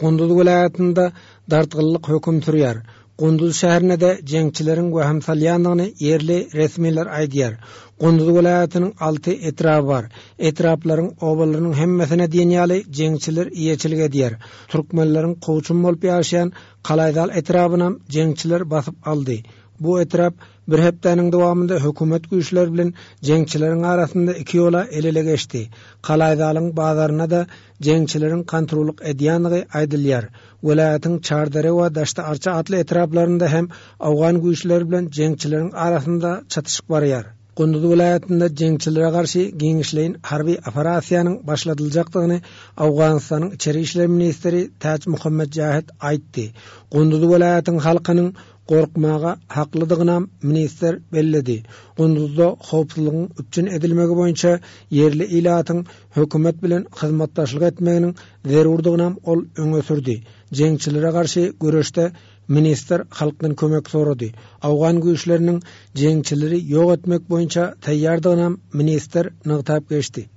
Gunduz welaýatynda dartgynlyk höküm sürýär. Gunduz şäherine-de jeňçileriň wehim salýandygyny ýerli resmiler aýdýar. Gunduz welaýatynyň alty etraby bar. Etraplaryň obalarynyň hemmesine diýen ýaly jeňçiler eýeçilik edýär. Türkmenleriň kowçum bolup ýaşaýan Kalaýzal etrabynam jeňçiler basyp aldy. Bu etrap bir hepdäniň dowamynda hökümet güýçleri bilen jeňçileriň arasynda iki ýola el-ele geçdi. Kalaýzalyň bazaryna-da jeňçileriň kontrollyk edýändigi aýdylýar. Welaýatyň Çardere we Daşty-Arça atly etraplarynda hem owgan güýçleri bilen jeňçileriň arasynda çatyşyk barýar. Gunduz welaýatynda jeňçilere garşy giňişleýin harby operasiýanyň başladyljakdygyny Owganystanyň içeri işler ministri Täç Muhammet Jähit aýtdy. Gunduz welaýatyň halkynyň gorkmaga haklydygynam ministr belledi. Gunduzda howpsuzlygyň üpjün edilmegi boýunça ýerli ilatyň hökümet bilen hyzmatdaşlyk etmeginiň zerurdygynam ol öňe sürdi. Jeňçilere garşy göreşde ministr halkdan kömek sorady. Owgan güýçleriniň jeňçileri ýok etmek boýunça taýýardygynam ministr nygtap geçdi.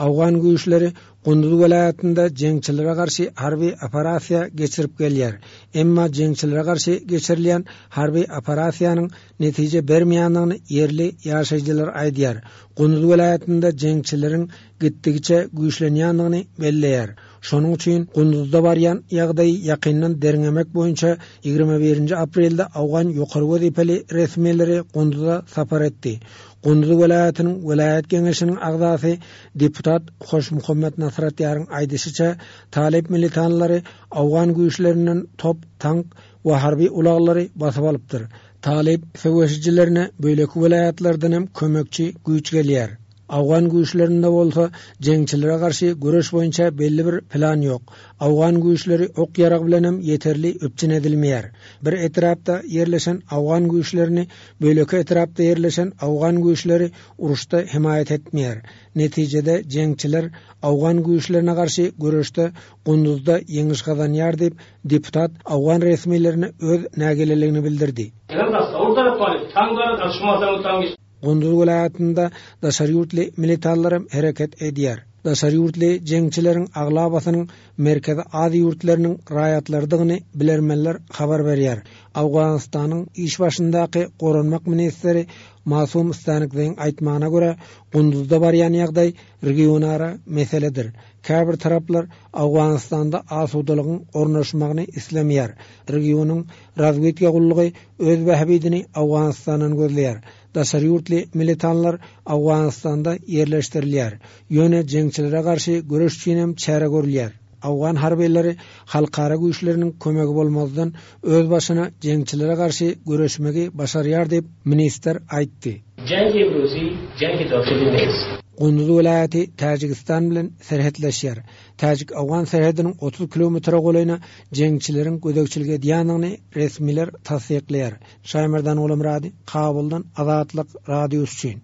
Owgan güýçleri Gunduz welaýatynda jeňçilere garşy harby operasiýa geçirip gelýär. Emma jeňçilere garşy geçirilýän harby operasiýanyň netije bermeýändigini ýerli ýaşaýjylar aýdýar. Gunduz welaýatynda jeňçileriň gitdigiçe güýçlenýändigini belleýär. Şonuň üçin Gunduzda barýan ýagdaýy ýakyndan derňemek boýunça 21-nji aprelde owgan ýokary wezipeli resmileri Gunduza sapar etdi. Gunduz welaýatynyň welaýat geňeşiniň agzasy deputat Hoşmuhammet Nasratýaryň aýdyşyça, talyp militanlary owgan güýçlerinden top, tank we harby ulaglary basyp alypdyr. Talyp söweşijilerine beýleki welaýatlardan hem kömekçi güýç gelýär. Owgan güýçlerinde bolsa jeňçilere garşy göreş boýunça belli bir plan ýok. Owgan güýçleri ok-ýarag bilenem ýeterli üpjün edilmeýär. Bir etrapda ýerleşen owgan güýçlerini beýleki etrapda ýerleşen owgan güýçleri uruşda hemaýat etmeýär. Netijede jeňçiler owgan güýçlerine garşy göreşde Gunduzda ýeňiş gazanýar diýip, deputat owgan resmilerine öz nägileligini bildirdi. Gunduz welaýatynda daşary ýurtly militanlaram hereket edýär. Daşary ýurtly jeňçileriň aglabasynyň Merkezi Aziýa ýurtlarynyň raýatlarydygyny bilermenler habar berýär. Owganystanyň iş başyndaky goranmak ministri Masum Stanikzeýiň aýtmagyna görä, Gunduzda barýan ýagdaý regionara meseledir. Käbir taraplar Owganystanda asudalygyň ornaşmagyny islemeýär. Regionyň razwedka gullugy öz bähbidini Owganystandan gözleýär. Daşary ýurtly militanlar Owganystanda ýerleşdirilýär. Ýöne jeňçilere garşy göreş üçinem çäre görülýär. Owgan harbylary halkara güýçleriniň kömegi bolmazdan öz başyna jeňçilere garşy göreşmegi başarýar diýip, ministr aýtdy. Jengi imruzi jengi dahili nist. Gunduz welaýaty Täjigistan bilen serhetleşýär. Täjik-owgan serhediniň 30 kilometre golaýyna jeňçileriň gözegçilik edýändigini resmiler tassyklaýar. Şaýmerdan Gulamyrady, Kabuldan Azatlyk Radiosy üçin.